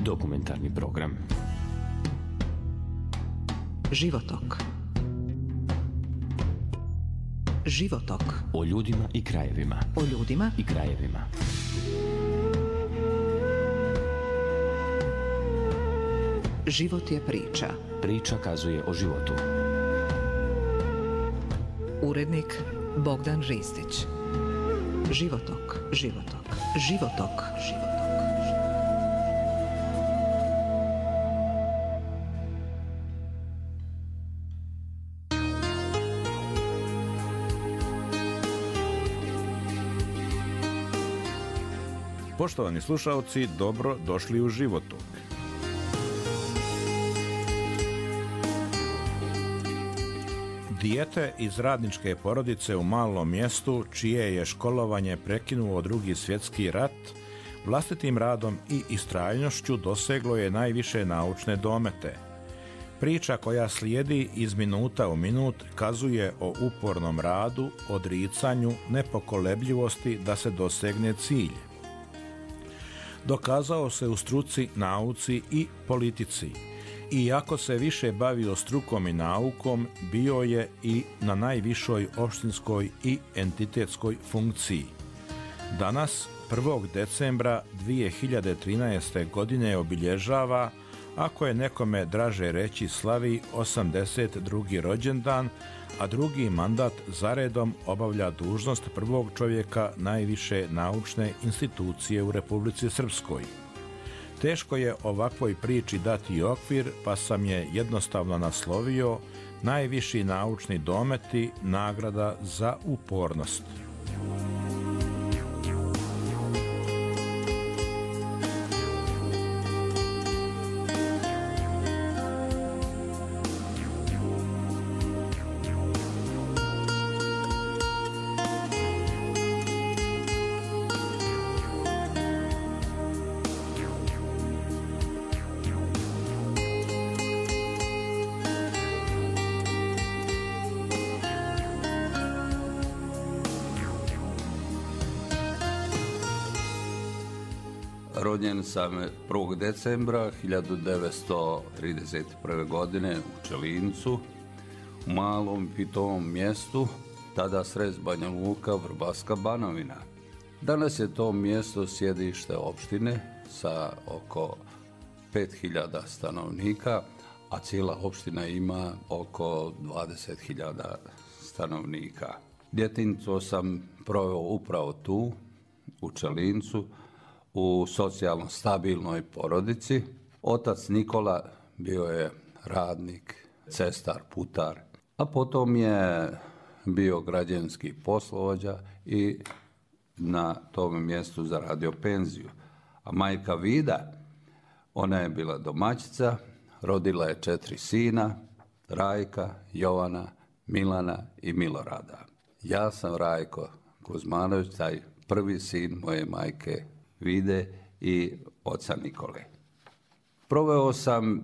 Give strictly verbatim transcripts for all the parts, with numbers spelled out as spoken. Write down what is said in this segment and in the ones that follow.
Dokumentarni program. Životok. Životok. O ljudima i krajevima. O ljudima i krajevima. Život je priča. Priča kazuje o životu. Urednik Bogdan Ristić. Životok, životok, životok, životok. Poštovani slušaoci, dobro došli u Životok. Dijete iz radničke porodice u malom mjestu, čije je školovanje prekinuo Drugi svjetski rat, vlastitim radom i istrajnošću doseglo je najviše naučne domete. Priča koja slijedi iz minuta u minut kazuje o upornom radu, odricanju, nepokolebljivosti da se dosegne cilj. Dokazao se u struci, nauci i politici. Iako se više bavio strukom i naukom, bio je i na najvišoj opštinskoj i entitetskoj funkciji. Danas, prvog decembra dvije hiljade trinaeste. godine obilježava, ako je nekome draže reći, slavi osamdeset drugi rođendan, a drugi mandat zaredom obavlja dužnost prvog čovjeka najviše naučne institucije u Republici Srpskoj. Teško je ovakvoj priči dati okvir, pa sam je jednostavno naslovio najviši naučni dometi, nagrada za upornost. Rođen sam prvog decembra hiljadu devetsto trideset prve. godine u Čelincu, u malom pitovom mjestu, tada srez Banja Luka, Vrbaska Banovina. Danas je to mjesto sjedište opštine sa oko pet hiljada stanovnika, a cijela opština ima oko dvadeset hiljada stanovnika. Djetinjstvo sam proveo upravo tu, u Čelincu, u socijalno stabilnoj porodici. Otac Nikola bio je radnik, cestar, putar, a potom je bio građevinski poslovođa i na tom mjestu zaradio penziju. A majka Vida, ona je bila domaćica, rodila je četiri sina, Rajka, Jovana, Milana i Milorada. Ja sam Rajko Kuzmanović, taj prvi sin moje majke Vide i oca Nikole. Proveo sam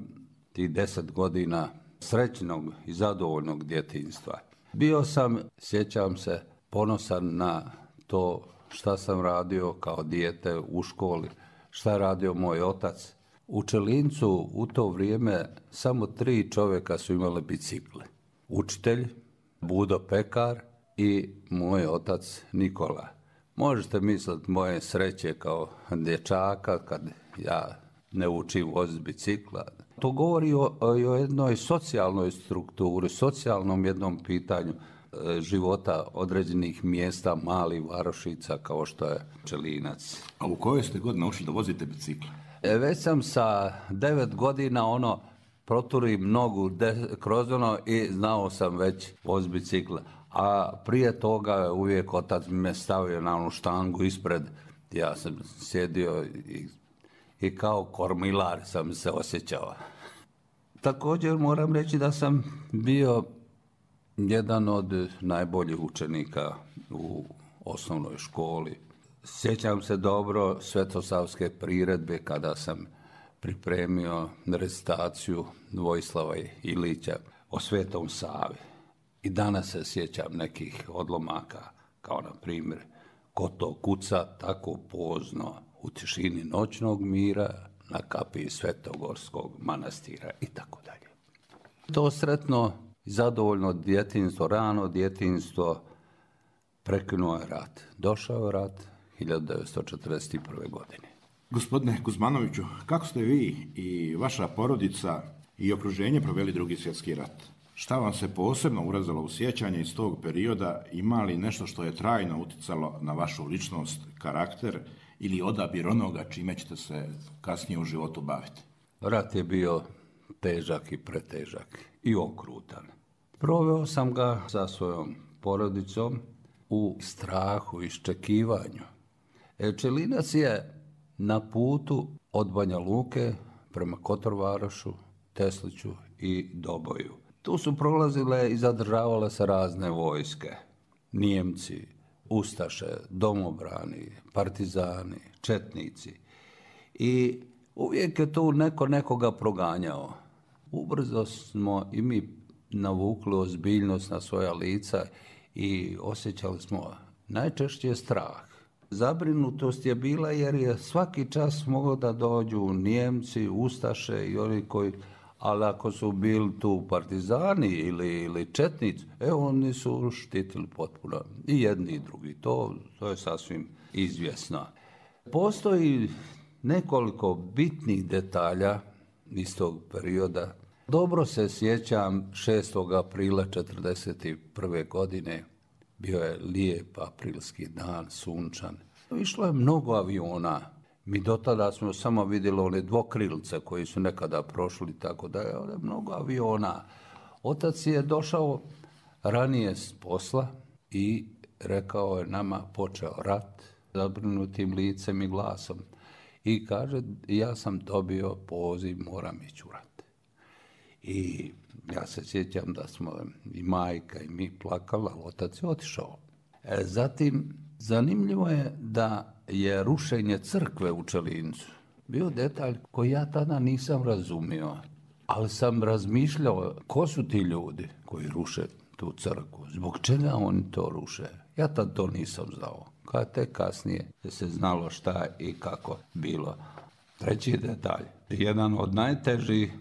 tih deset godina srećnog i zadovoljnog djetinjstva. Bio sam, sjećam se, ponosan na to šta sam radio kao dijete u školi, šta je radio moj otac. U Čelincu u to vrijeme samo tri čovjeka su imali bicikle. Učitelj, Budo Pekar i moj otac Nikola. Možete misliti moje sreće kao dječaka kad ja ne učim voziti bicikla. To govori o, o jednoj socijalnoj strukturi, socijalnom jednom pitanju e, života određenih mjesta, malih varošica kao što je Čelinac. A u kojoj ste god naučili da vozite bicikla? E, već sam sa devet godina ono proturim nogu de, kroz ono i znao sam već voziti bicikla. A prije toga uvijek otac me stavio na onu štangu ispred, ja sam sjedio i, i kao kormilar sam se osjećao. Također moram reći da sam bio jedan od najboljih učenika u osnovnoj školi. Sjećam se dobro Svetosavske priredbe kada sam pripremio recitaciju Vojislava Ilića o Svetom Savi. I danas se sjećam nekih odlomaka, kao na primjer, ko to kuca tako pozno u tišini noćnog mira, na kapiji Svetogorskog manastira i tako dalje. To sretno i zadovoljno djetinjstvo, rano djetinjstvo, prekinuo je rat. Došao je rat hiljadu devetsto četrdeset prve. godine. Gospodine Kuzmanoviću, kako ste vi i vaša porodica i okruženje proveli Drugi svjetski rat? Šta vam se posebno urezalo u sjećanje iz tog perioda? Ima li nešto što je trajno uticalo na vašu ličnost, karakter ili odabir onoga čime ćete se kasnije u životu baviti? Rat je bio težak i pretežak i okrutan. Proveo sam ga sa svojom porodicom u strahu, iščekivanju. Čelinac je na putu od Banja Luke prema Kotorvarošu, Tesliću i Doboju. Tu su prolazile i zadržavale se razne vojske. Nijemci, ustaše, domobrani, partizani, četnici. I uvijek je tu neko nekoga proganjao. Ubrzo smo i mi navukli ozbiljnost na svoja lica i osjećali smo najčešće strah. Zabrinutost je bila jer je svaki čas moglo da dođu Nijemci, ustaše i oni koji, ali ako su bili tu partizani ili, ili četnici, e oni su štitili potpuno i jedni i drugi. To, to je sasvim izvjesno. Postoji nekoliko bitnih detalja iz tog perioda. Dobro se sjećam šestog aprila četrdeset prve. godine. Bio je lijep aprilski dan, sunčan. Išlo je mnogo aviona. Mi do tada smo samo vidjeli one dvokrilce koji su nekada prošli, tako da je mnogo aviona. Otac je došao ranije s posla i rekao je nama počeo rat, zabrinutim licem i glasom. I kaže, ja sam dobio poziv, moram ići u rat. I ja se sjećam da smo i majka i mi plakali, ali otac je otišao. E, zatim, zanimljivo je da je rušenje crkve u Čelincu bio detalj koji ja tada nisam razumio, ali sam razmišljao ko su ti ljudi koji ruše tu crkvu, zbog čega oni to ruše. Ja tad to nisam znao. Kad tek kasnije se znalo šta i kako bilo. Treći detalj, jedan od najtežih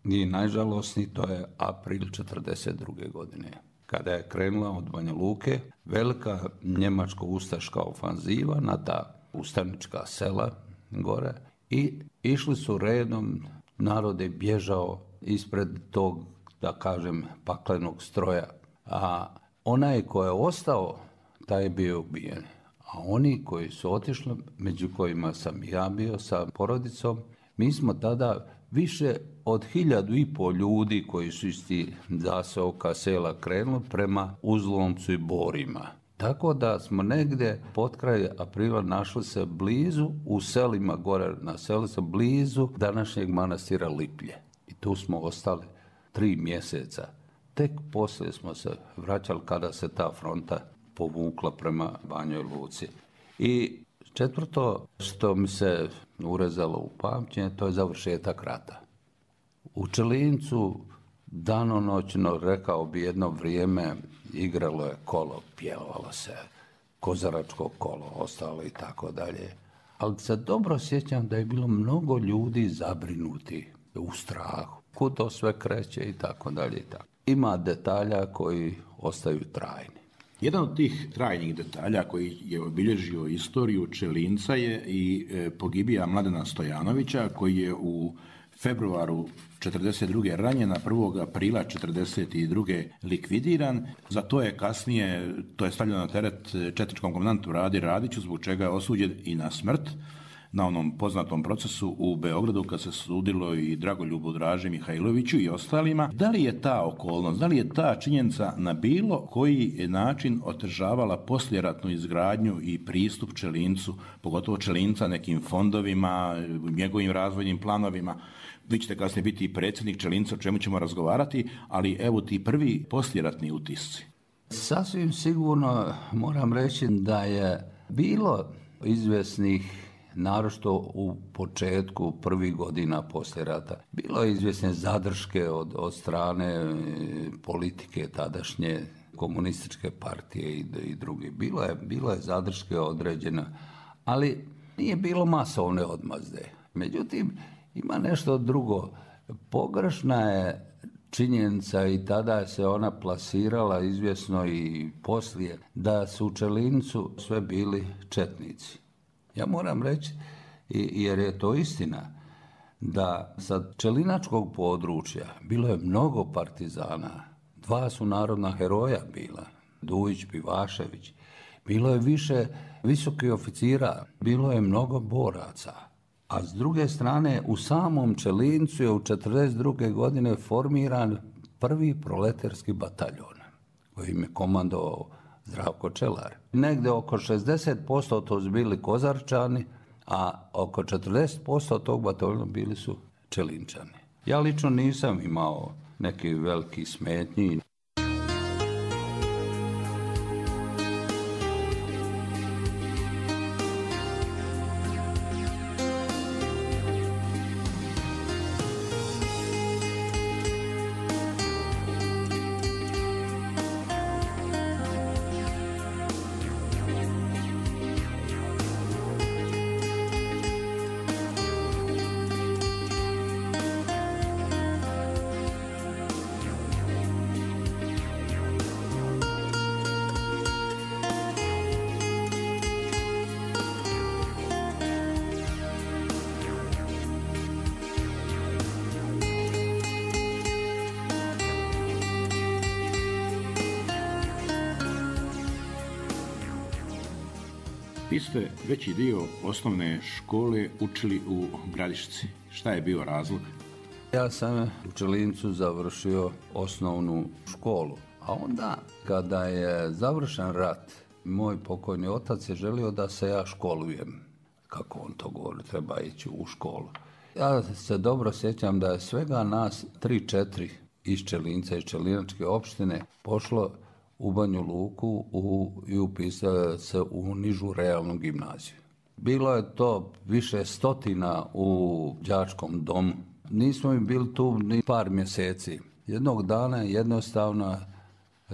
i najžalosniji, to je april četrdeset druge. godine. Kada je krenula od Banja Luke velika njemačko-ustaška ofanziva na ta ustanička sela gore i išli su redom, narod je bježao ispred tog, da kažem, paklenog stroja. A onaj ko je ostao, taj je bio ubijen. A oni koji su otišli, među kojima sam ja bio sa porodicom, mi smo tada više od hiljadu i pol ljudi koji su iz tih zaseoka sela krenuli prema Uzlomcu i Borima. Tako da smo negdje pod kraj aprila našli se blizu, u selima gore na selu se blizu današnjeg manastira Liplje. I tu smo ostali tri mjeseca. Tek poslije smo se vraćali kada se ta fronta povukla prema Banjoj Luci. I četvrto što mi se urezalo u pamćenje, to je završetak rata. U Čelincu danonoćno, rekao bi, jedno vrijeme igralo je kolo, pjevalo se, kozaračko kolo, ostalo i tako dalje. Ali se dobro sjećam da je bilo mnogo ljudi zabrinuti u strahu, kud to sve kreće i tako dalje. I tako. Ima detalja koji ostaju trajni. Jedan od tih trajnih detalja koji je obilježio istoriju Čelinca je i pogibija Mladena Stojanovića, koji je u februaru četrdeset druge ranjen, a prvog aprila četrdeset druge likvidiran. Za to je kasnije, to je stavljeno na teret četničkom komandantu Radi Radiću, zbog čega je osuđen i na smrt na onom poznatom procesu u Beogradu kad se sudilo i Dragoljubu Draži Mihajloviću i ostalima. Da li je ta okolnost, da li je ta činjenica na bilo koji način otežavala poslijeratnu izgradnju i pristup Čelincu, pogotovo Čelinca nekim fondovima, njegovim razvojnim planovima? Vi ćete kasnije biti i predsjednik Čelinca, o čemu ćemo razgovarati, ali evo ti prvi poslijeratni utisci. Sasvim sigurno moram reći da je bilo izvjesnih, naročito u početku prvih godina poslije rata, bilo je izvjesne zadrške od, od strane politike tadašnje komunističke partije i, i druge. Bilo je, bilo je zadrške određena, ali nije bilo masovne odmazde. Međutim, ima nešto drugo. Pogrešna je činjenica i tada se ona plasirala izvjesno i poslije da su u Čelincu sve bili četnici. Ja moram reći, jer je to istina, da sa čelinačkog područja bilo je mnogo partizana. Dva su narodna heroja bila, Dujić, Pivašević. Bilo je više visokih oficira, bilo je mnogo boraca. A s druge strane, u samom Čelincu je u četrdeset druge godine formiran prvi proletarski bataljon, kojim je komandovao Zdravko Čelar. Negde oko šezdeset posto to su bili Kozarčani, a oko četrdeset posto tog bataljona bili su Čelinčani. Ja lično nisam imao neki veliki smetnji. Vi ste veći dio osnovne škole učili u Gradišci. Šta je bio razlog? Ja sam u Čelincu završio osnovnu školu, a onda kada je završen rat, moj pokojni otac je želio da se ja školujem. Kako on to govori, treba ići u školu. Ja se dobro sjećam da je svega nas tri četiri iz Čelinca, iz Čelinačke opštine pošlo u Banju Luku u, i upisali se u nižu realnu gimnaziju. Bilo je to više stotina u đačkom domu. Nismo mi bili tu ni par mjeseci. Jednog dana jednostavno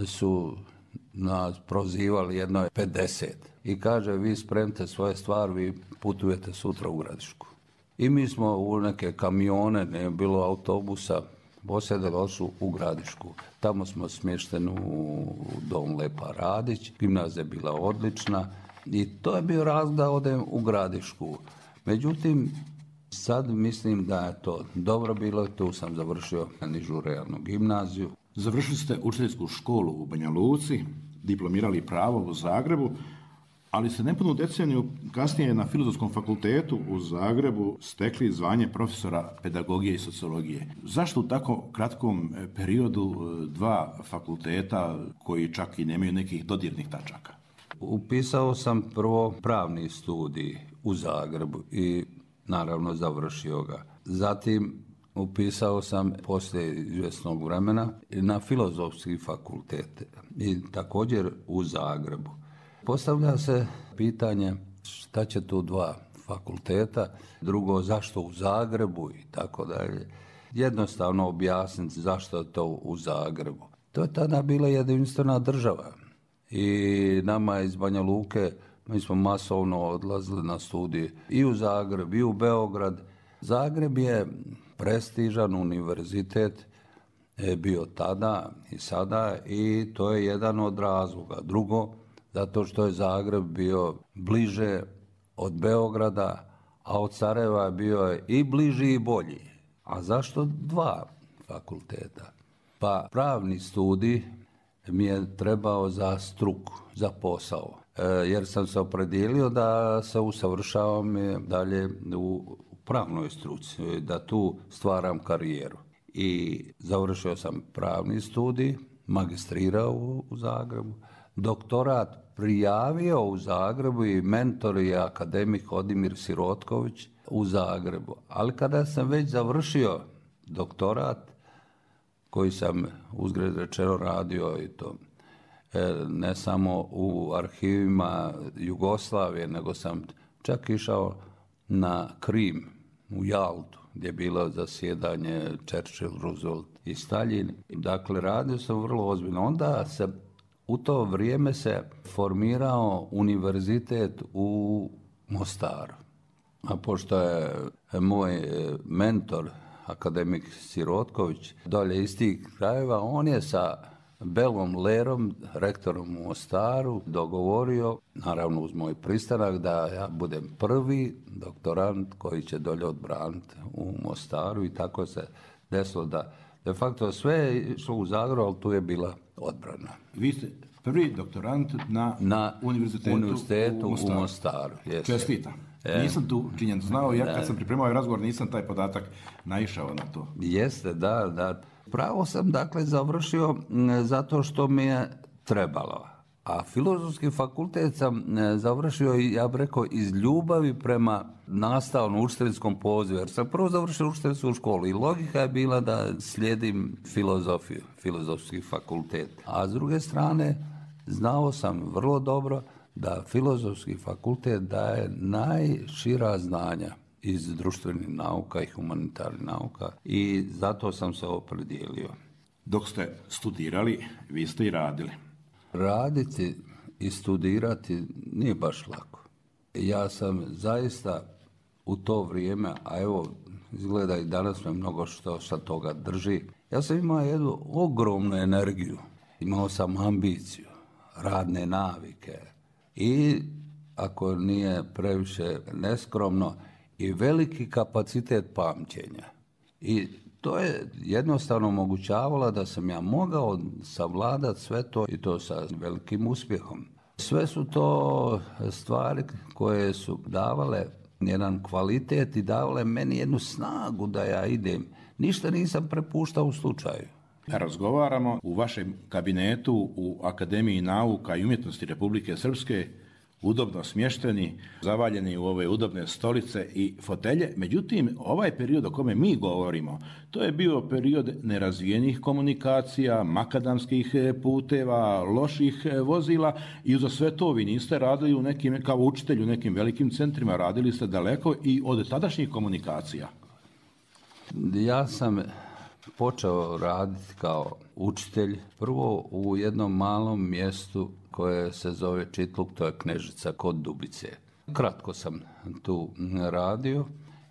su nas prozivali, jedno je pedeset. I kaže, vi spremite svoje stvari, vi putujete sutra u Gradišku. I mi smo u neke kamione, ne bilo autobusa, posjedali su u Gradišku. Tamo smo smješteni u dom Lepa Radić, gimnazija je bila odlična i to je bio razlog da odem u Gradišku. Međutim, sad mislim da je to dobro bilo, tu sam završio nižu realnu gimnaziju. Završili ste učiteljsku školu u Banja Luci, diplomirali pravo u Zagrebu, ali ste nepunu deceniju kasnije na Filozofskom fakultetu u Zagrebu stekli zvanje profesora pedagogije i sociologije. Zašto u tako kratkom periodu dva fakulteta koji čak i nemaju nekih dodirnih tačaka? Upisao sam prvo pravni studij u Zagrebu i naravno završio ga. Zatim upisao sam poslije izvjesnog vremena na Filozofski fakultet i također u Zagrebu. Postavlja se pitanje šta će tu dva fakulteta, drugo zašto u Zagrebu i tako dalje. Jednostavno objasniti zašto je to u Zagrebu. To je tada bila jedinstvena država i nama iz Banja Luke, mi smo masovno odlazili na studije i u Zagreb i u Beograd. Zagreb je prestižan univerzitet, je bio tada i sada i to je jedan od razloga. Drugo, zato što je Zagreb bio bliže od Beograda, a od Sarajeva je bio i bliži i bolji. A zašto dva fakulteta? Pa pravni studij mi je trebao za struku, za posao, e, jer sam se opredijelio da se usavršavam dalje u pravnoj struci, da tu stvaram karijeru. I završio sam pravni studij, magistrirao u, u Zagrebu, doktorat prijavio u Zagrebu i mentor je akademik Odimir Sirotković u Zagrebu. Ali kada sam već završio doktorat, koji sam uzgred rečeno radio i to ne samo u arhivima Jugoslavije, nego sam čak išao na Krim, u Jaltu, gdje je bilo zasjedanje Churchill, Roosevelt i Staljin. Dakle, radio sam vrlo ozbiljno. Onda se u to vrijeme se formirao univerzitet u Mostaru. A pošto je moj mentor, akademik Sirotković, dolje iz tih krajeva, on je sa Belom Lerom, rektorom u Mostaru, dogovorio, naravno uz moj pristanak, da ja budem prvi doktorant koji će dolje odbraniti u Mostaru i tako se desilo da de facto sve je išlo u Zadru, ali tu je bila odbrana. Vi ste prvi doktorant na, na univerzitetu, univerzitetu u Mostaru. U Mostaru Čestitam. E, nisam tu činjen znao, ja kad sam pripremao ovaj razgovor nisam taj podatak naišao na to. Jeste, da, da. Pravo sam dakle završio zato što mi je trebalo. A filozofski fakultet sam završio, ja bih rekao, iz ljubavi prema nastavnom učiteljskom pozivu. Jer sam prvo završio učiteljsku školu i logika je bila da slijedim filozofiju, filozofski fakultet. A s druge strane, znao sam vrlo dobro da filozofski fakultet daje najšira znanja iz društvenih nauka i humanitarnih nauka i zato sam se opredijelio. Dok ste studirali, vi ste i radili. Raditi i studirati nije baš lako. Ja sam zaista u to vrijeme, a evo izgleda i danas me mnogo što sa toga drži, ja sam imao jednu ogromnu energiju, imao sam ambiciju, radne navike i ako nije previše neskromno i veliki kapacitet pamćenja. I to je jednostavno omogućavalo da sam ja mogao savladati sve to i to sa velikim uspjehom. Sve su to stvari koje su davale jedan kvalitet i davale meni jednu snagu da ja idem. Ništa nisam prepuštao u slučaju. Razgovaramo u vašem kabinetu u Akademiji nauka i umjetnosti Republike Srpske, udobno smješteni, zavaljeni u ove udobne stolice i fotelje. Međutim, ovaj period o kome mi govorimo, to je bio period nerazvijenih komunikacija, makadamskih puteva, loših vozila i za sve to vi niste radili u nekim, kao učitelj u nekim velikim centrima, radili ste daleko i od tadašnjih komunikacija. Ja sam počeo raditi kao učitelj prvo u jednom malom mjestu koje se zove Čitluk, to je Knežica kod Dubice. Kratko sam tu radio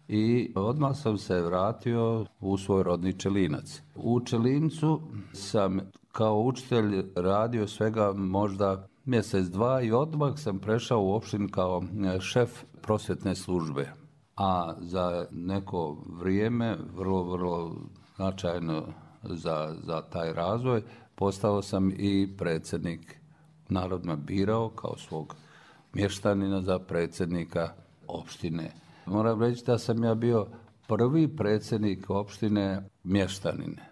i odmah sam se vratio u svoj rodni Čelinac. U Čelincu sam kao učitelj radio svega možda mjesec, dva i odmah sam prešao u opštinu kao šef prosvjetne službe. A za neko vrijeme, vrlo, vrlo značajno za, za taj razvoj, postao sam i predsjednik. Narod me birao kao svog mještanina za predsjednika opštine. Moram reći da sam ja bio prvi predsjednik opštine mještanine,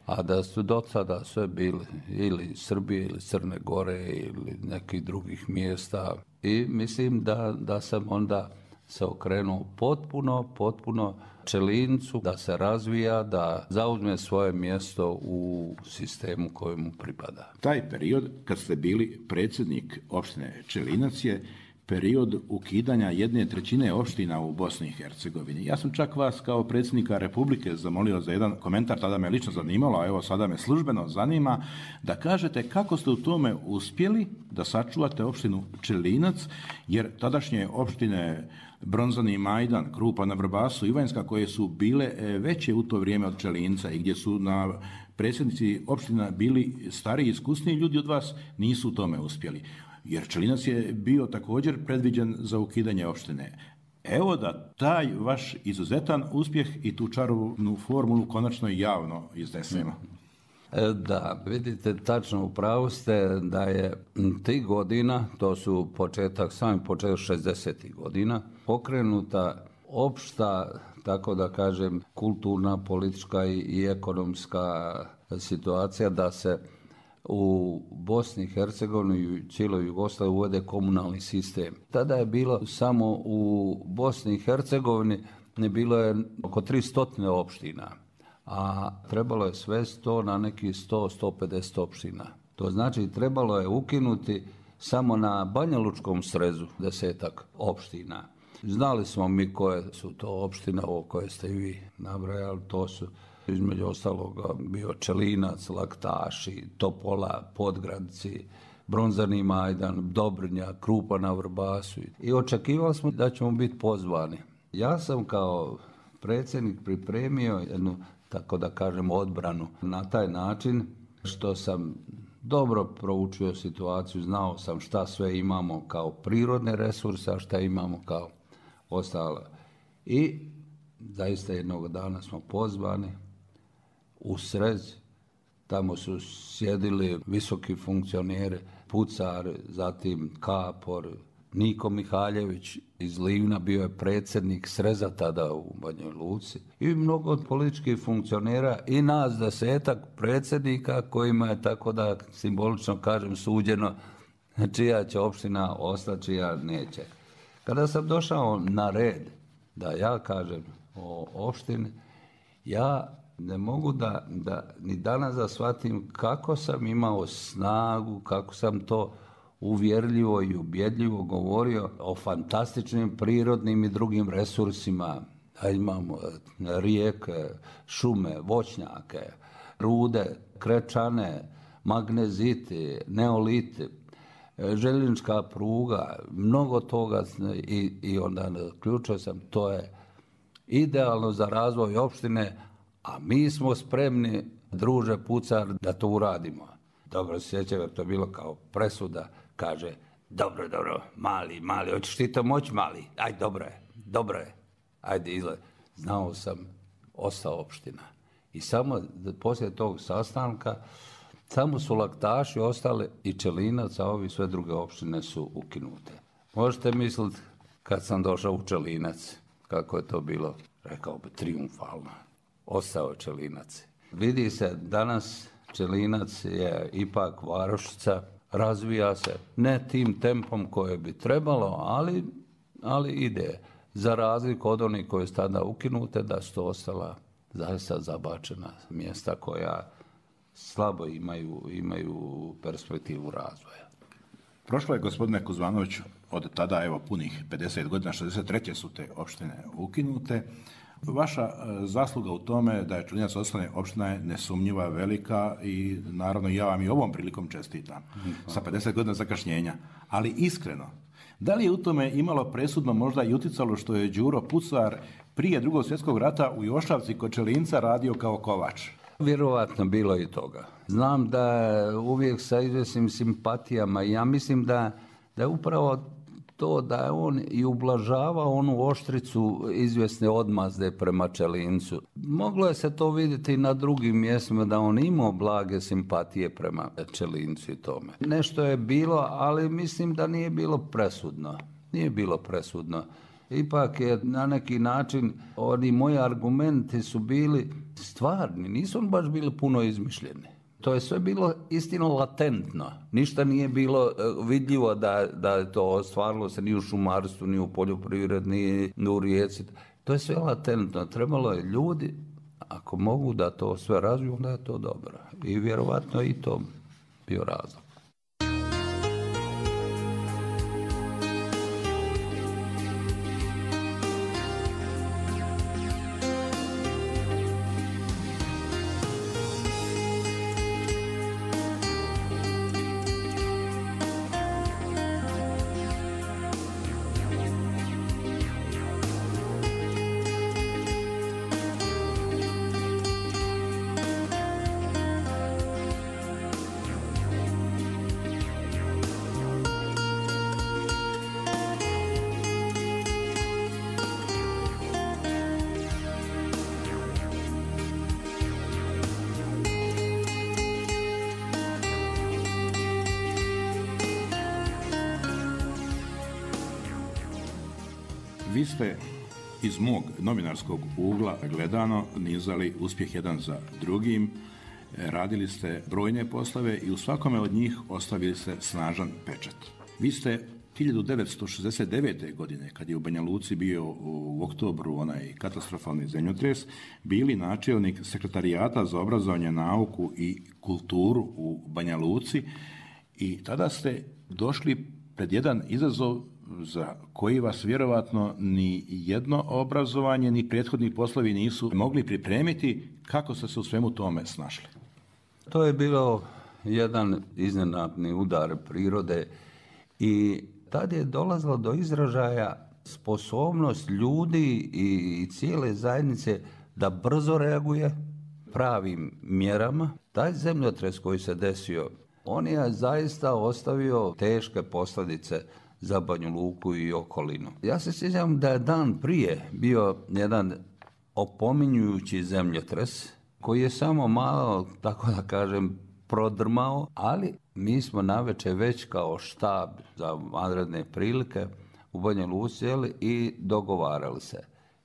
a da su do sada sve bili ili Srbije ili Crne Gore ili nekih drugih mjesta. I mislim da, da sam onda se okrenuo potpuno, potpuno Čelincu, da se razvija, da zauzme svoje mjesto u sistemu kojemu pripada. Taj period, kad ste bili predsjednik opštine Čelinac, je period ukidanja jedne trećine opština u Bosni i Hercegovini. Ja sam čak vas kao predsjednika Republike zamolio za jedan komentar, tada me lično zanimalo, a evo sada me službeno zanima, da kažete kako ste u tome uspjeli da sačuvate opštinu Čelinac, jer tadašnje opštine Bronzani Majdan, Krupa na Vrbasu, Ivanjska, koje su bile veće u to vrijeme od Čelinca i gdje su na predsjednici opština bili stariji, iskusniji ljudi od vas, nisu u tome uspjeli. Jer Čelinac je bio također predviđen za ukidanje opštine. Evo da taj vaš izuzetan uspjeh i tu čarobnu formulu konačno javno iznesemo. Da, vidite, tačno u pravu ste da je tih godina, to su početak, sami početak šezdesetih godina, pokrenuta opšta, tako da kažem, kulturna, politička i ekonomska situacija da se u Bosni i Hercegovini i cijeloj Jugoslaviji uvede komunalni sistem. Tada je bilo samo u Bosni i Hercegovini, bilo je oko tristo opština, a trebalo je svesti to na neki sto do sto pedeset opština. To znači trebalo je ukinuti samo na Banjalučkom srezu desetak opština. Znali smo mi koje su to opštine, ovo koje ste i vi nabrajali, to su između ostaloga bio Čelinac, Laktaši, Topola, Podgradci, Bronzani Majdan, Dobrnja, Krupa na Vrbasu. I očekivali smo da ćemo biti pozvani. Ja sam kao predsjednik pripremio jednu, tako da kažem, odbranu na taj način što sam dobro proučio situaciju, znao sam šta sve imamo kao prirodne resurse, a šta imamo kao ostalo. I zaista jednog dana smo pozvani u Srez, tamo su sjedili visoki funkcioneri, Pucar, zatim Kapor, Niko Mihaljević iz Livna, bio je predsjednik Sreza tada u Banjoj Luci, i mnogo od političkih funkcionera i nas desetak predsjednika kojima je, tako da simbolično kažem, suđeno čija će opština ostati, čija neće. Kada sam došao na red da ja kažem o opštini, ja ne mogu da, da ni danas da shvatim kako sam imao snagu, kako sam to uvjerljivo i ubjedljivo govorio o fantastičnim prirodnim i drugim resursima. Da imamo rijeke, šume, voćnjake, rude, krečane, magneziti, neoliti, željeznička pruga, mnogo toga, i, i onda zaključio sam, to je idealno za razvoj opštine, a mi smo spremni, druže Pucar, da to uradimo. Dobro se sjećam, jer to je bilo kao presuda, kaže, dobro, dobro, mali, mali, hoćeš ti to moći, mali? Aj, dobro je, dobro je, ajde, izgled. Znao sam, ostao opština. I samo poslije tog sastanka, samo su Laktaši ostali i Čelinac, a ovi sve druge opštine su ukinute. Možete misliti, kad sam došao u Čelinac, kako je to bilo, rekao bi, triumfalno. Ostao Čelinac. Vidi se, danas Čelinac je ipak varošica, razvija se, ne tim tempom koje bi trebalo, ali, ali ide. Za razliku od onih koje su tada ukinute, da su to ostala zaista zabačena mjesta koja slabo imaju, imaju perspektivu razvoja. Prošlo je, gospodine Kuzmanović, od tada, evo, punih pedeset godina, šezdeset treće su te opštine ukinute. Vaša zasluga u tome da je Čelinac ostane opština je nesumnjiva, velika, i naravno ja vam i ovom prilikom čestitam sa pedeset godina zakašnjenja. Ali iskreno, da li je u tome imalo presudno možda i uticalo što je Đuro Pucar prije Drugog svjetskog rata u Jošavci kod Čelinca radio kao kovač? Vjerovatno bilo i toga. Znam da uvijek sa izvjesnim simpatijama, i ja mislim da, da je upravo to da je on i ublažava onu oštricu izvjesne odmazde prema Čelincu. Moglo je se to vidjeti i na drugim mjestima, da on imao blage simpatije prema Čelincu i tome. Nešto je bilo, ali mislim da nije bilo presudno. Nije bilo presudno. Ipak je na neki način, oni moji argumenti su bili stvarni, nisu on baš bili puno izmišljeni. To je sve bilo istino latentno. Ništa nije bilo vidljivo da, da je to ostvarilo se ni u šumarstvu, ni u poljoprivredi, ni u rijeci. To je sve latentno. Trebalo je ljudi, ako mogu da to sve razviju, onda je to dobro. I vjerovatno i to bio razlog. Vi ste iz mog novinarskog ugla gledano nizali uspjeh jedan za drugim, radili ste brojne poslove i u svakome od njih ostavili ste snažan pečat. Vi ste hiljadu devetsto šezdeset devete. godine, kad je u Banja Luci bio u oktobru onaj katastrofalni zemljotres, bili načelnik sekretarijata za obrazovanje, nauku i kulturu u Banja Luci, i tada ste došli pred jedan izazov za koji vas vjerovatno ni jedno obrazovanje ni prethodni poslovi nisu mogli pripremiti. Kako ste se u svemu tome snašli? To je bilo jedan iznenadni udar prirode i tad je dolazilo do izražaja sposobnost ljudi i cijele zajednice da brzo reaguje pravim mjerama. Taj zemljotres koji se desio, on je zaista ostavio teške posljedice za Banja Luku i okolinu. Ja se sjećam da je dan prije bio jedan opominjujući zemljotres koji je samo malo, tako da kažem, prodrmao, ali mi smo navečer već kao štab za vanredne prilike u Banja Luci i dogovarali se.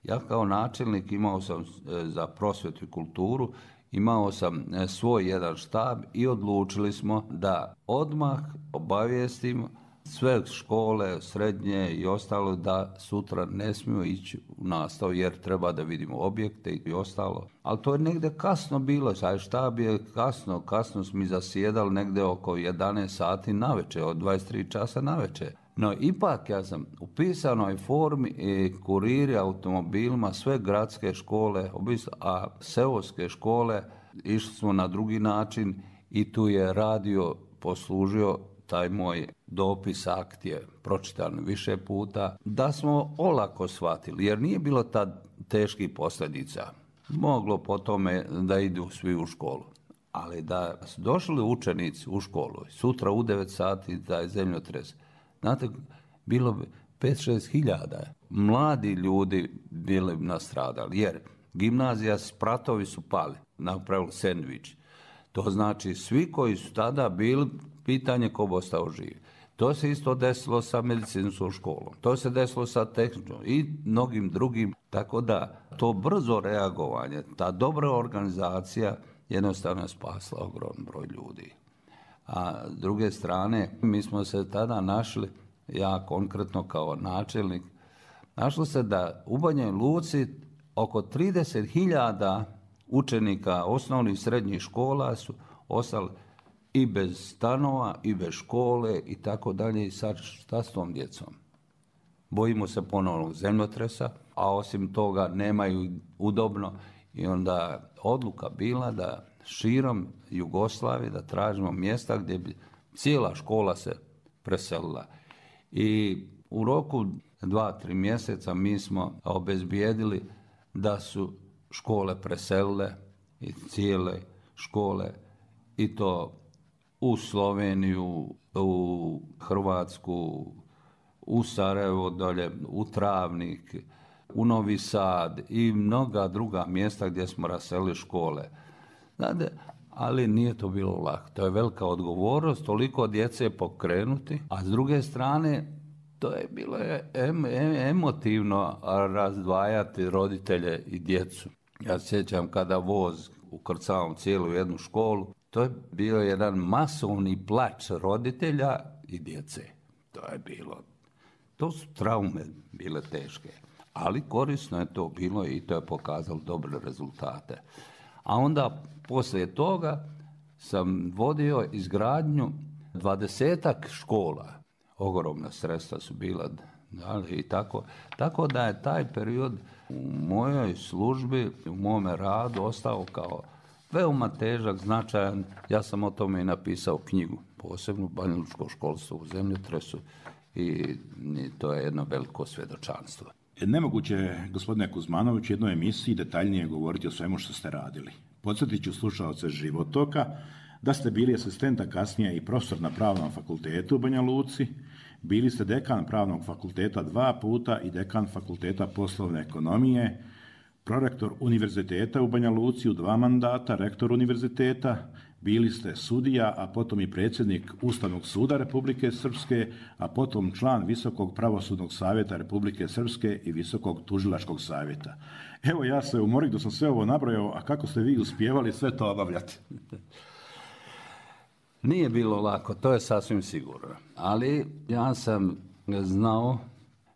Ja kao načelnik imao sam za prosvjetu i kulturu, imao sam svoj jedan štab i odlučili smo da odmah obavijestimo sve škole, srednje i ostalo da sutra ne smiju ići u nastavu jer treba da vidimo objekte i ostalo. Ali to je negdje kasno bilo, taj štab je kasno, kasno smo zasjedali negdje oko jedanaest sati navečer, od dvadeset tri časa navečer. No ipak ja sam u pisanoj formi i kuriri automobilima sve gradske škole, a seoske škole išli smo na drugi način i tu je radio poslužio taj moj dopis, akt je pročitan više puta, da smo olako shvatili, jer nije bilo tad teških posljedica. Moglo po tome da idu svi u školu. Ali da su došli učenici u školu, sutra u devet sati da je zemljotres, znate, bilo bi pet šest hiljada mladi ljudi bili nastradali, jer gimnazija, spratovi su pali, napravili sendvič. To znači svi koji su tada bili, pitanje ko bi ostao živ. To se isto desilo sa medicinskom školom, to se desilo sa tehničkom i mnogim drugim, tako da to brzo reagovanje, ta dobra organizacija jednostavno je spasla ogroman broj ljudi. A s druge strane, mi smo se tada našli, ja konkretno kao načelnik, našlo se da u Banja Luci oko trideset hiljada učenika osnovnih i srednjih škola su ostali i bez stanova, i bez škole, i tako dalje. I sad šta s tom djecom? Bojimo se ponovnog zemljotresa, a osim toga nemaju udobno. I onda odluka bila da širom Jugoslavije, da tražimo mjesta gdje bi cijela škola se preselila. I u roku dva, tri mjeseca mi smo obezbijedili da su škole preselile i cijele škole i to u Sloveniju, u Hrvatsku, u Sarajevo dolje, u Travnik, u Novi Sad i mnoga druga mjesta gdje smo raselili škole. Znate, ali nije to bilo lako. To je velika odgovornost, toliko djece pokrenuti, a s druge strane to je bilo em, em, emotivno razdvajati roditelje i djecu. Ja se sjećam kada voz ukrcavam cijelu jednu školu, to je bio jedan masovni plač roditelja i djece. To je bilo, to su traume bile teške, ali korisno je to bilo i to je pokazalo dobre rezultate. A onda poslije toga sam vodio izgradnju dvadesetak škola. Ogromna sredstva su bila, da, i tako, tako da je taj period u mojoj službi, u mome radu ostao kao veoma težak, značajan. Ja sam o tome i napisao knjigu, posebno Banjalučko školstvo u zemljotresu i, i to je jedno veliko svjedočanstvo. Nemoguće je, gospodine Kuzmanović, u jednoj emisiji detaljnije govoriti o svemu što ste radili. Podsjetit ću slušaoce Životoka da ste bili asistent, a kasnije i profesor na Pravnom fakultetu u Banja Luci, bili ste dekan Pravnog fakulteta dva puta i dekan Fakulteta poslovne ekonomije, prorektor univerziteta u Banja Luci u dva mandata, rektor univerziteta, bili ste sudija, a potom i predsjednik Ustavnog suda Republike Srpske, a potom član Visokog pravosudnog savjeta Republike Srpske i Visokog tužilačkog savjeta. Evo, ja se umorim da sam sve ovo nabrojao, a kako ste vi uspijevali sve to obavljati? Nije bilo lako, to je sasvim sigurno. Ali ja sam znao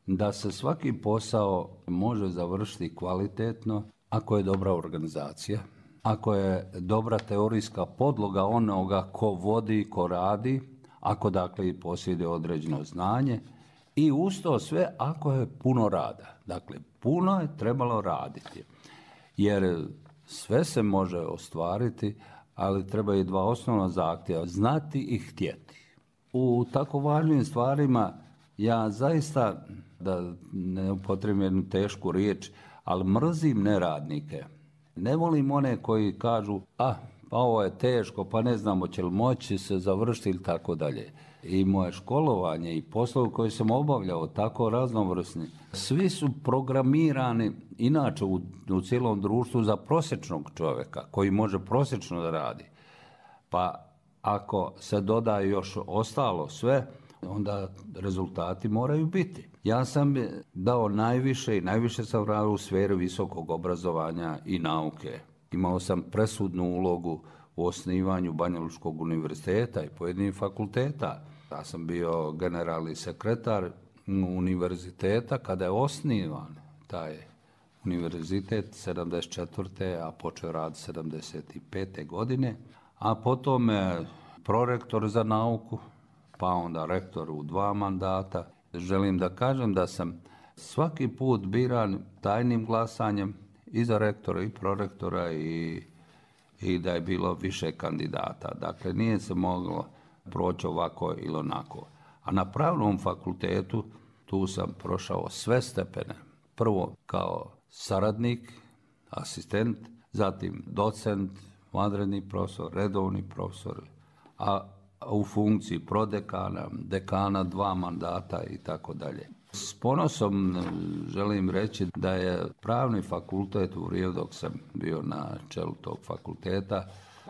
da se svaki posao može završiti kvalitetno ako je dobra organizacija, ako je dobra teorijska podloga onoga ko vodi, ko radi, ako dakle posjeduje određeno znanje i uz to sve ako je puno rada. Dakle, puno je trebalo raditi, jer sve se može ostvariti ali treba i dva osnovna zahtjeva, znati i htjeti. U tako važnim stvarima ja zaista, da ne upotrebim jednu tešku riječ, ali mrzim neradnike. Ne volim one koji kažu, a pa ovo je teško, pa ne znamo će li moći se završiti ili tako dalje. I moje školovanje i poslovi koje sam obavljao, tako raznovrsni, svi su programirani inače u, u cijelom društvu za prosječnog čovjeka koji može prosječno da radi. Pa ako se doda još ostalo sve, onda rezultati moraju biti. Ja sam dao najviše i najviše sam radio u sferi visokog obrazovanja i nauke. Imao sam presudnu ulogu u osnivanju Banjalučkog univerziteta i pojedinih fakulteta. Ja sam bio generalni sekretar univerziteta kada je osnivan taj univerzitet sedamdeset četvrte. a počeo rad sedamdeset pete. godine. A potom prorektor za nauku, pa onda rektor u dva mandata. Želim da kažem da sam svaki put biran tajnim glasanjem i za rektora i prorektora i, i da je bilo više kandidata. Dakle, nije se moglo proći ovako ili onako. A na Pravnom fakultetu tu sam prošao sve stepene. Prvo kao saradnik, asistent, zatim docent, vanredni profesor, redovni profesor, a u funkciji prodekana, dekana, dva mandata i tako dalje. S ponosom želim reći da je Pravni fakultet u vrijeme dok sam bio na čelu tog fakulteta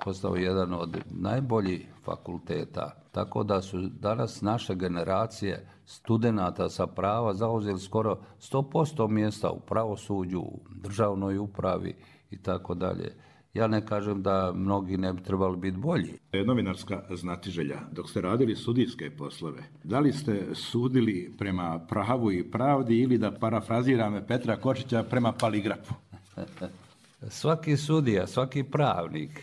postao jedan od najboljih fakulteta. Tako da su danas naše generacije studenata sa prava zauzeli skoro sto posto mjesta u pravosuđu, u državnoj upravi i tako dalje. Ja ne kažem da mnogi ne bi trebali biti bolji. Je novinarska znatiželja. Dok ste radili sudijske poslove, da li ste sudili prema pravu i pravdi ili, da parafraziram Petra Kočića, prema paligrafu? Svaki sudija, svaki pravnik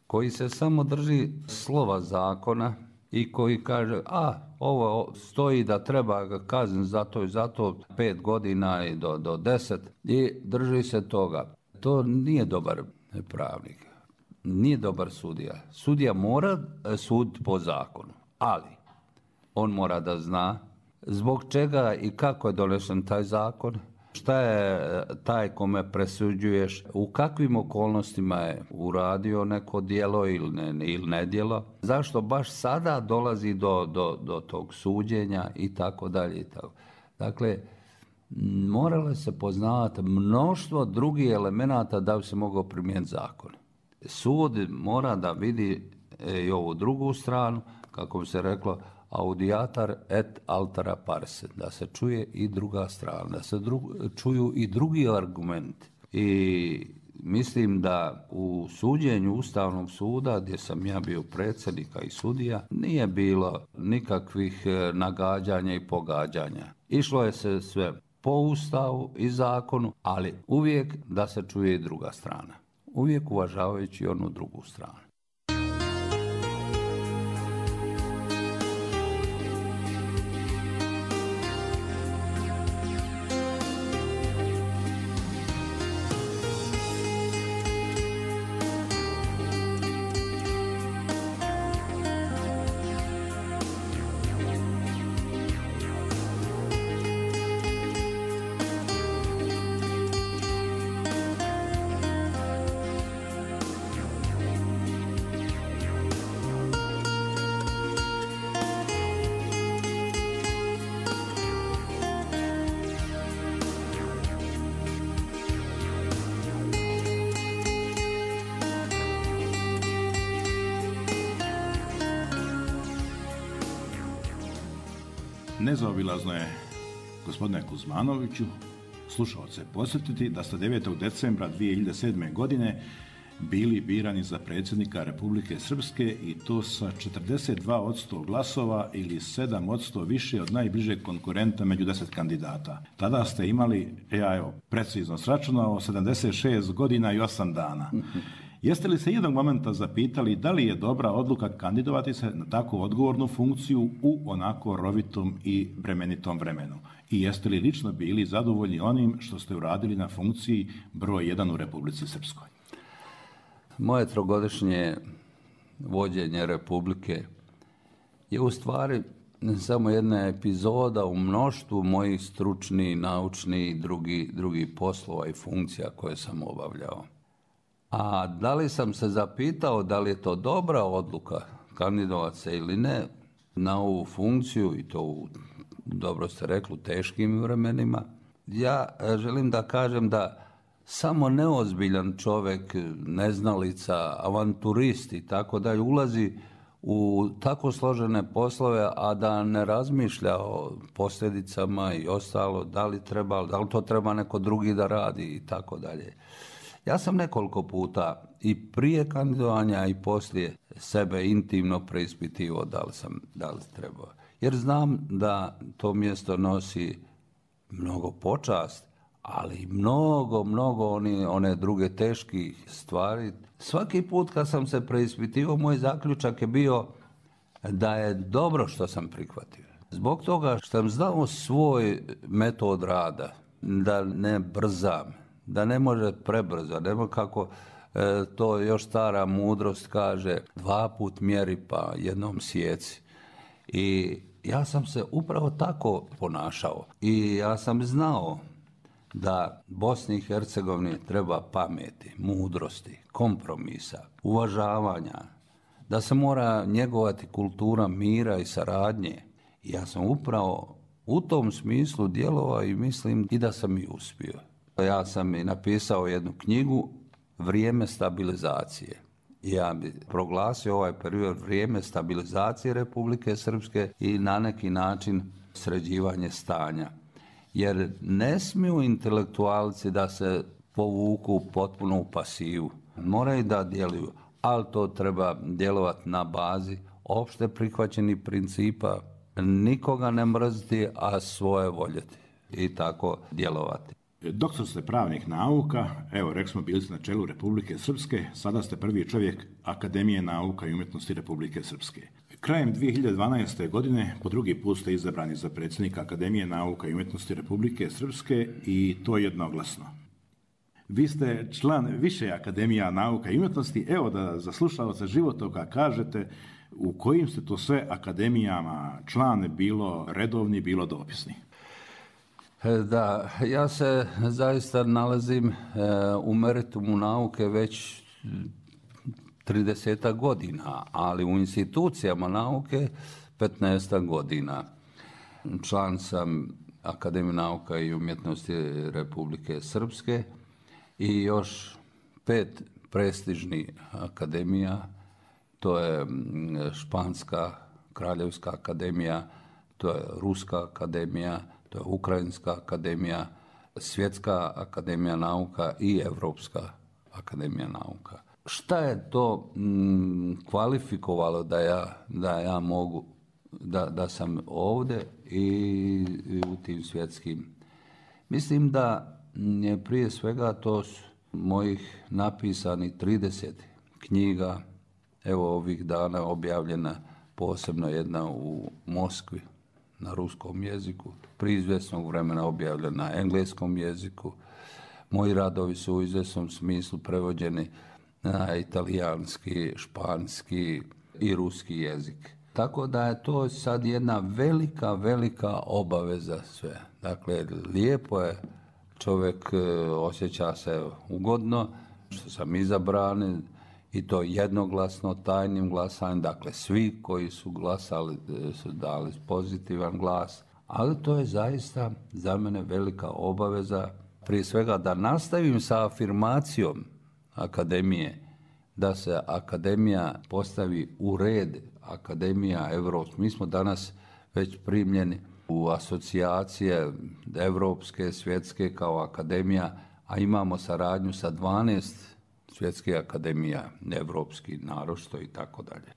koji se samo drži slova zakona i koji kaže, a ovo stoji da treba ga kazniti za to i za to pet godina i do, do deset i drži se toga. To nije dobar pravnik, nije dobar sudija. Sudija mora suditi po zakonu, ali on mora da zna zbog čega i kako je donesen taj zakon, šta je taj kome presuđuješ, u kakvim okolnostima je uradio neko djelo ili ne, ili ne djelo, zašto baš sada dolazi do, do, do tog suđenja i tako dalje. Dakle, moralo se poznavati mnoštvo drugih elemenata da bi se mogao primijeniti zakon. Sud mora da vidi i ovu drugu stranu, kako bi se reklo, audiator et altera pars, da se čuje i druga strana, da se dru, čuju i drugi argumenti. I mislim da u suđenju Ustavnog suda, gdje sam ja bio predsjednika i sudija, nije bilo nikakvih nagađanja i pogađanja. Išlo je se sve po Ustavu i zakonu, ali uvijek da se čuje i druga strana. Uvijek uvažavajući onu drugu stranu. Nezaobilazno je, gospodine Kuzmanoviću, slušalce podsjetiti da ste devetog decembra dvije hiljade sedme. godine bili birani za predsjednika Republike Srpske i to sa četrdeset dva posto glasova ili sedam posto više od najbližeg konkurenta među deset kandidata. Tada ste imali, ja evo precizno sračunao, sedamdeset šest godina i osam dana. Jeste li se jednog momenta zapitali da li je dobra odluka kandidovati se na tako odgovornu funkciju u onako rovitom i bremenitom vremenu? I jeste li lično bili zadovoljni onim što ste uradili na funkciji broj jedan u Republici Srpskoj? Moje trogodišnje vođenje Republike je u stvari samo jedna epizoda u mnoštvu mojih stručnih, naučnih i drugi, drugi poslova i funkcija koje sam obavljao. A da li sam se zapitao da li je to dobra odluka kandidovati se ili ne na ovu funkciju, i to u, dobro ste rekli, u teškim vremenima, ja želim da kažem da samo neozbiljan čovjek, neznalica, avanturist i tako dalje ulazi u tako složene poslove, a da ne razmišlja o posljedicama i ostalo, da li treba, da li to treba neko drugi da radi i tako dalje. Ja sam nekoliko puta i prije kandidovanja i poslije sebe intimno preispitivao da li sam, da li trebao. Jer znam da to mjesto nosi mnogo počast, ali mnogo, mnogo oni, one druge teških stvari. Svaki put kad sam se preispitivao, moj zaključak je bio da je dobro što sam prihvatio. Zbog toga što sam znao svoj metod rada, da ne brzam, da ne može prebrzo, nema kako e, to još stara mudrost kaže, dva put mjeri pa jednom sjeci. I ja sam se upravo tako ponašao i ja sam znao da Bosni i Hercegovini treba pameti, mudrosti, kompromisa, uvažavanja, da se mora njegovati kultura mira i saradnje. I ja sam upravo u tom smislu djelovao i mislim i da sam i uspio. Ja sam i napisao jednu knjigu Vrijeme stabilizacije. Ja bi proglasio ovaj period vrijeme stabilizacije Republike Srpske i na neki način sređivanje stanja. Jer ne smiju intelektualci da se povuku potpuno u pasivu. Moraju da djeluju, ali to treba djelovati na bazi opšte prihvaćenih principa, nikoga ne mrziti, a svoje voljeti i tako djelovati. Doktor ste pravnih nauka, evo rekli smo bili ste na čelu Republike Srpske, sada ste prvi čovjek Akademije nauka i umjetnosti Republike Srpske. Krajem dvije hiljade dvanaeste. godine po drugi put ste izabrani za predsjednika Akademije nauka i umjetnosti Republike Srpske i to jednoglasno. Vi ste član više Akademija nauka i umjetnosti, evo da za slušalce Životoka kažete u kojim ste to sve akademijama član, bilo redovni, bilo dopisni. Da, ja se zaista nalazim u meritumu nauke već trideset godina, ali u institucijama nauke petnaest godina. Član sam Akademije nauka i umjetnosti Republike Srpske i još pet prestižnih akademija, to je Španska kraljevska akademija, to je Ruska akademija, to je Ukrajinska akademija, Svjetska akademija nauka i Evropska akademija nauka. Šta je to m, kvalifikovalo da ja, da ja mogu, da, da sam ovdje i, i u tim svjetskim? Mislim da je prije svega to mojih napisanih trideset knjiga, evo ovih dana objavljena posebno jedna u Moskvi na ruskom jeziku, prije izvjesnog vremena objavljena na engleskom jeziku. Moji radovi su u izvjesnom smislu prevođeni na italijanski, španski i ruski jezik. Tako da je to sad jedna velika, velika obaveza sve. Dakle, lijepo je, čovjek osjeća se ugodno što sam izabran i to jednoglasno, tajnim glasanjem. Dakle, svi koji su glasali su dali pozitivan glas, ali to je zaista za mene velika obaveza. Prije svega da nastavim sa afirmacijom akademije, da se akademija postavi u red, akademija Evropska. Mi smo danas već primljeni u asocijacije evropske, svjetske kao akademija, a imamo saradnju sa dvanaest svjetskih akademija, evropski, naročito i tako dalje.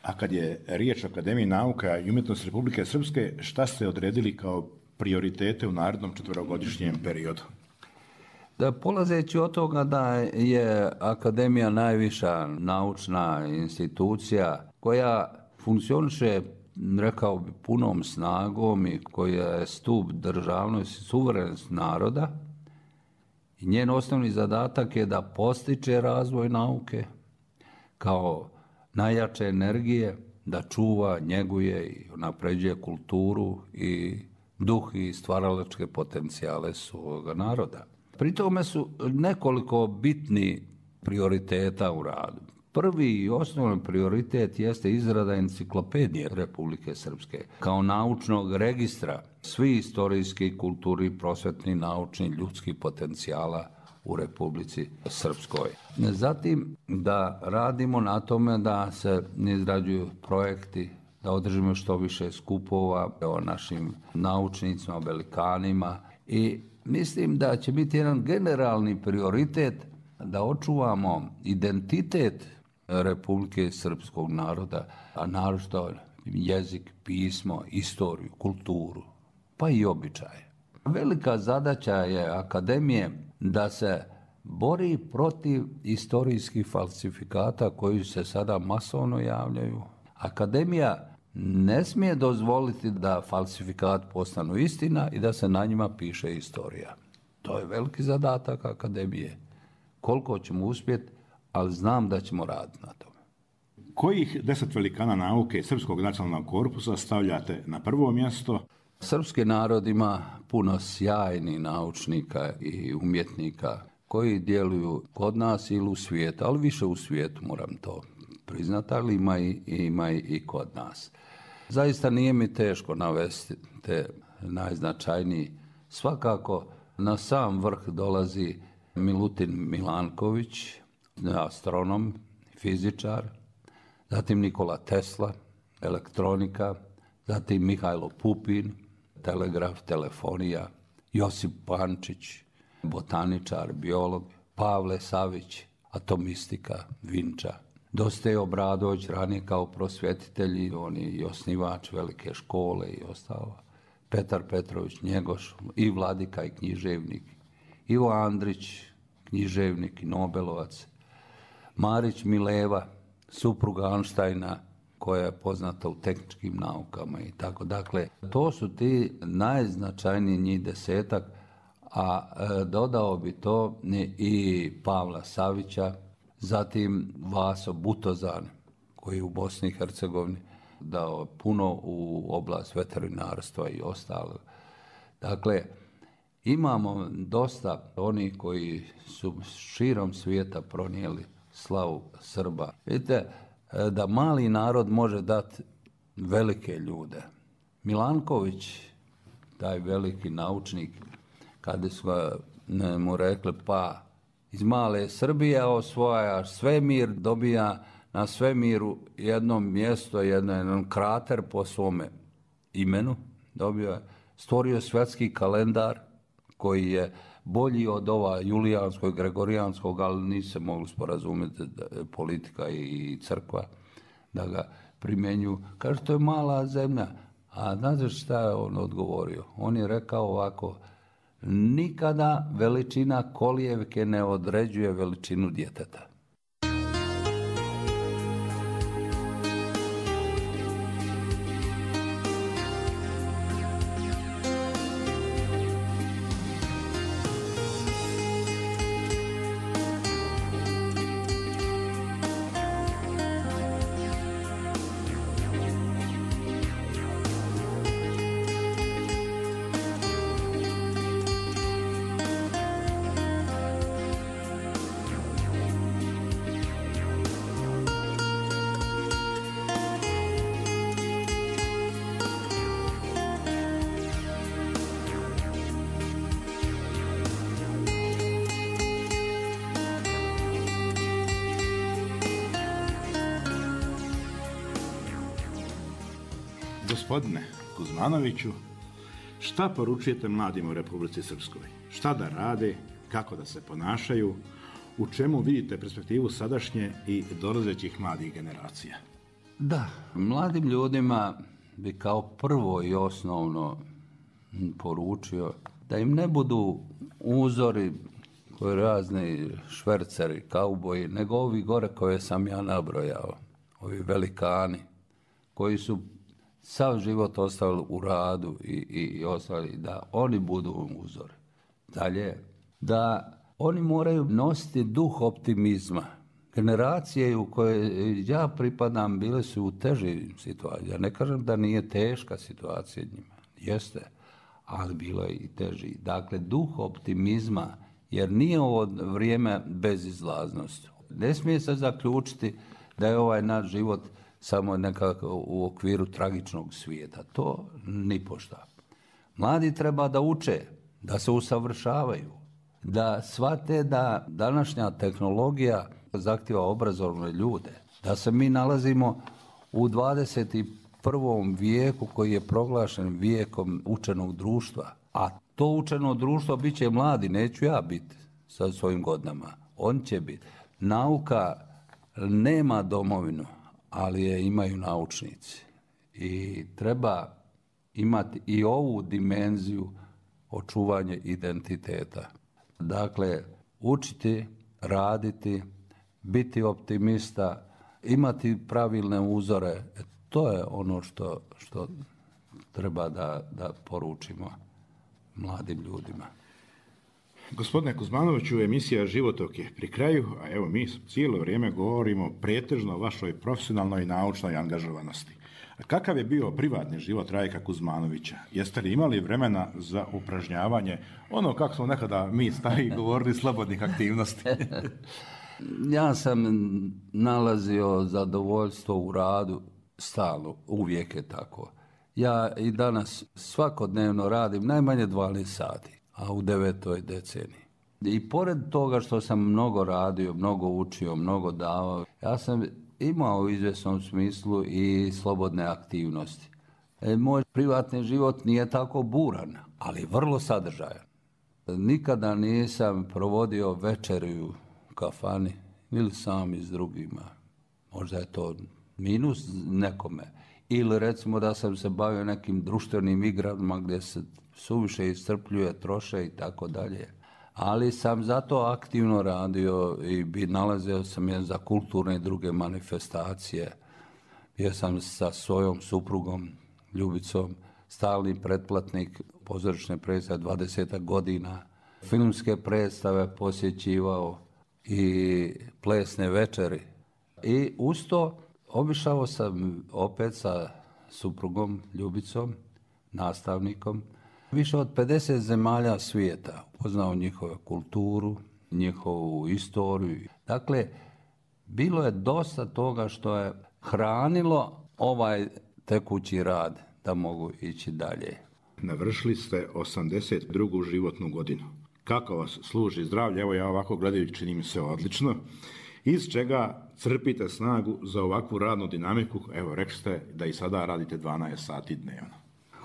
A kad je riječ o Akademiji nauka i umjetnosti Republike Srpske, šta ste odredili kao prioritete u narednom četverogodišnjem periodu? Da, polazeći od toga da je akademija najviša naučna institucija koja funkcioniše, rekao bi, punom snagom i koja je stup državnosti, suverenost naroda, i njen osnovni zadatak je da postiče razvoj nauke, kao najjače energije da čuva, njeguje i napređuje kulturu i duh i stvaralačke potencijale svoga naroda. Pri tome su nekoliko bitni prioriteta u radu. Prvi i osnovni prioritet jeste izrada enciklopedije Republike Srpske kao naučnog registra svih istorijskih, kulturnih, prosvetnih, naučnih, ljudskih potencijala u Republici Srpskoj. Zatim da radimo na tome da se izrađuju projekti, da održimo što više skupova o našim naučnicima, velikanima i mislim da će biti jedan generalni prioritet da očuvamo identitet Republike Srpskog naroda, a naročito jezik, pismo, istoriju, kulturu, pa i običaje. Velika zadaća je akademije da se bori protiv istorijskih falsifikata koji se sada masovno javljaju. Akademija ne smije dozvoliti da falsifikat postanu istina i da se na njima piše istorija. To je veliki zadatak akademije. Koliko ćemo uspjeti, ali znam da ćemo raditi na tome. Kojih deset velikana nauke Srpskog nacionalnog korpusa stavljate na prvo mjesto? Srpski narod ima puno sjajnih naučnika i umjetnika koji djeluju kod nas ili u svijetu, ali više u svijetu, moram to priznati, ali ima i, ima i kod nas. Zaista nije mi teško navesti te najznačajniji. Svakako na sam vrh dolazi Milutin Milanković, astronom, fizičar, zatim Nikola Tesla, elektronika, zatim Mihajlo Pupin, telegraf, telefonija, Josip Pančić, botaničar, biolog, Pavle Savić, atomistika, Vinča, Dositej Obradović, ranije kao prosvjetitelj, on je i osnivač velike škole i ostalo, Petar Petrović Njegoš, i vladika i književnik, Ivo Andrić, književnik i nobelovac, Marić Mileva, supruga Einsteina, koja je poznata u tehničkim naukama i tako. Dakle, to su ti najznačajniji njih desetak, a e, dodao bi to i Pavla Savića, zatim Vaso Butozan, koji je u Bosni i Hercegovini dao puno u oblast veterinarstva i ostalo. Dakle, imamo dosta onih koji su širom svijeta pronijeli slavu Srba. Vidite, da mali narod može dati velike ljude. Milanković, taj veliki naučnik, kada su mu rekli, pa iz male Srbije osvajaš svemir, dobija na svemiru jedno mjesto, jedno, jedan krater po svome imenu, dobio je, stvorio svjetski kalendar koji je bolji od ova julijanskog, gregorijanskog, ali nisu se mogli sporazumjeti politika i crkva da ga primjenju. Kaže, to je mala zemlja. A znate šta je on odgovorio? On je rekao ovako, nikada veličina kolijevke ne određuje veličinu djeteta. Gospodine Kuzmanoviću, šta poručujete mladim u Republici Srpskoj? Šta da rade, kako da se ponašaju, u čemu vidite perspektivu sadašnje i dolazećih mladih generacija? Da, mladim ljudima bi kao prvo i osnovno poručio da im ne budu uzori koji razni šverceri, kauboji, nego ovi gore koje sam ja nabrojao, ovi velikani koji su sav život ostavili u radu i, i, i ostali, da oni budu uzor. Dalje, da oni moraju nositi duh optimizma, Generacije u koje ja pripadam bile su u težim situacijama. Ja ne kažem da nije teška situacija njima. Jeste, ali bilo je i teži. Dakle, duh optimizma, jer nije ovo vrijeme bezizlaznosti. Ne smije se zaključiti da je ovaj naš život samo nekako u okviru tragičnog svijeta. To nipošto. Mladi treba da uče, da se usavršavaju, da shvate da današnja tehnologija zahtjeva obrazovne ljude, da se mi nalazimo u dvadeset prvom vijeku koji je proglašen vijekom učenog društva, a to učeno društvo bit će mladi, neću ja biti sa svojim godinama, on će biti. Nauka nema domovinu, ali je imaju naučnici i treba imati i ovu dimenziju očuvanja identiteta. Dakle, učiti, raditi, biti optimista, imati pravilne uzore, to je ono što, što treba da, da poručimo mladim ljudima. Gospodine Kuzmanoviću, emisija Životok je pri kraju, a evo mi cijelo vrijeme govorimo pretežno o vašoj profesionalnoj i naučnoj angažovanosti. A kakav je bio privatni život Rajka Kuzmanovića? Jeste li imali vremena za upražnjavanje, ono kako smo nekada mi stariji govorili, slobodnih aktivnosti? Ja sam nalazio zadovoljstvo u radu stalno, uvijek je tako. Ja i danas svakodnevno radim najmanje dvanaest sati, a u devetoj deceniji. I pored toga što sam mnogo radio, mnogo učio, mnogo davao, ja sam imao u izvjesnom smislu i slobodne aktivnosti. E, moj privatni život nije tako buran, ali vrlo sadržajan. Nikada nisam provodio večerju u kafani ili sam i s drugima. Možda je to minus nekome. Ili recimo da sam se bavio nekim društvenim igrama gdje se suviše iscrpljuje, troše i tako dalje. Ali sam zato aktivno radio i bi nalazio sam je za kulturne i druge manifestacije. Bio sam sa svojom suprugom, Ljubicom, stalni pretplatnik pozorišne predstave dvadeset godina. Filmske predstave posjećivao i plesne večeri. I uz to obišao sam opet sa suprugom, Ljubicom, nastavnikom, više od pedeset zemalja svijeta. Upoznao njihovu kulturu, njihovu istoriju. Dakle, bilo je dosta toga što je hranilo ovaj tekući rad da mogu ići dalje. Navršili ste osamdeset drugu životnu godinu. Kako vas služi zdravlje? Evo ja ovako gledajući čini mi se odlično. Iz čega crpite snagu za ovakvu radnu dinamiku? Evo, rekli ste da i sada radite dvanaest sati dnevno.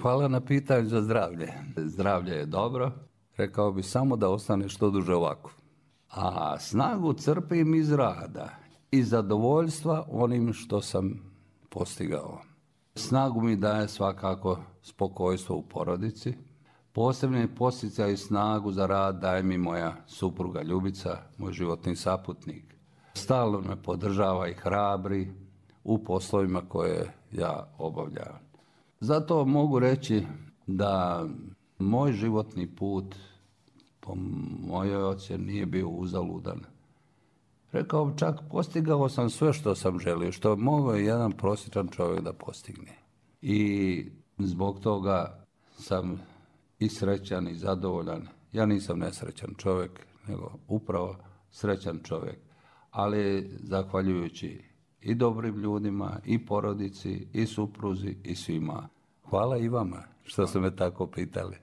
Hvala na pitanju za zdravlje. Zdravlje je dobro. Rekao bi samo da ostane što duže ovako. A snagu crpim iz rada i zadovoljstva onim što sam postigao. Snagu mi daje svakako spokojstvo u porodici. Posebni posticaj i snagu za rad daje mi moja supruga Ljubica, moj životni saputnik. Stalno me podržava i hrabri u poslovima koje ja obavljam. Zato mogu reći da moj životni put, po mojoj ocjeni, nije bio uzaludan. Rekao bi čak, postigao sam sve što sam želio, što mogao je jedan prosječan čovjek da postigne. I zbog toga sam i srećan i zadovoljan. Ja nisam nesrećan čovjek, nego upravo srećan čovjek. Ali zahvaljujući i dobrim ljudima, i porodici, i supruzi, i svima. Hvala i vama što ste me tako pitali.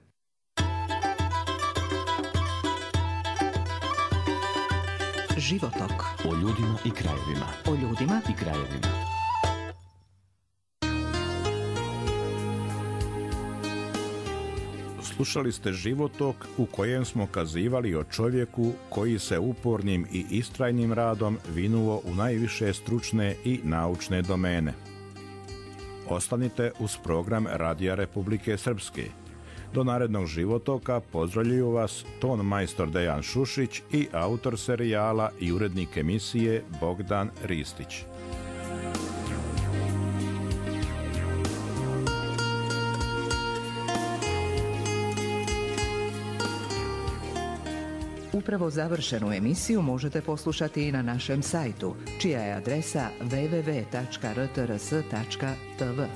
Životok. O ljudima i krajevima. O ljudima I krajevima. Slušali ste Životok u kojem smo kazivali o čovjeku koji se upornim i istrajnim radom vinuo u najviše stručne i naučne domene. Ostanite uz program Radija Republike Srpske. Do narednog Životoka pozdravljuju vas ton majstor Dejan Šušić i autor serijala i urednik emisije Bogdan Ristić. Upravo završenu emisiju možete poslušati i na našem sajtu, čija je adresa w w w tačka r t r s tačka t v.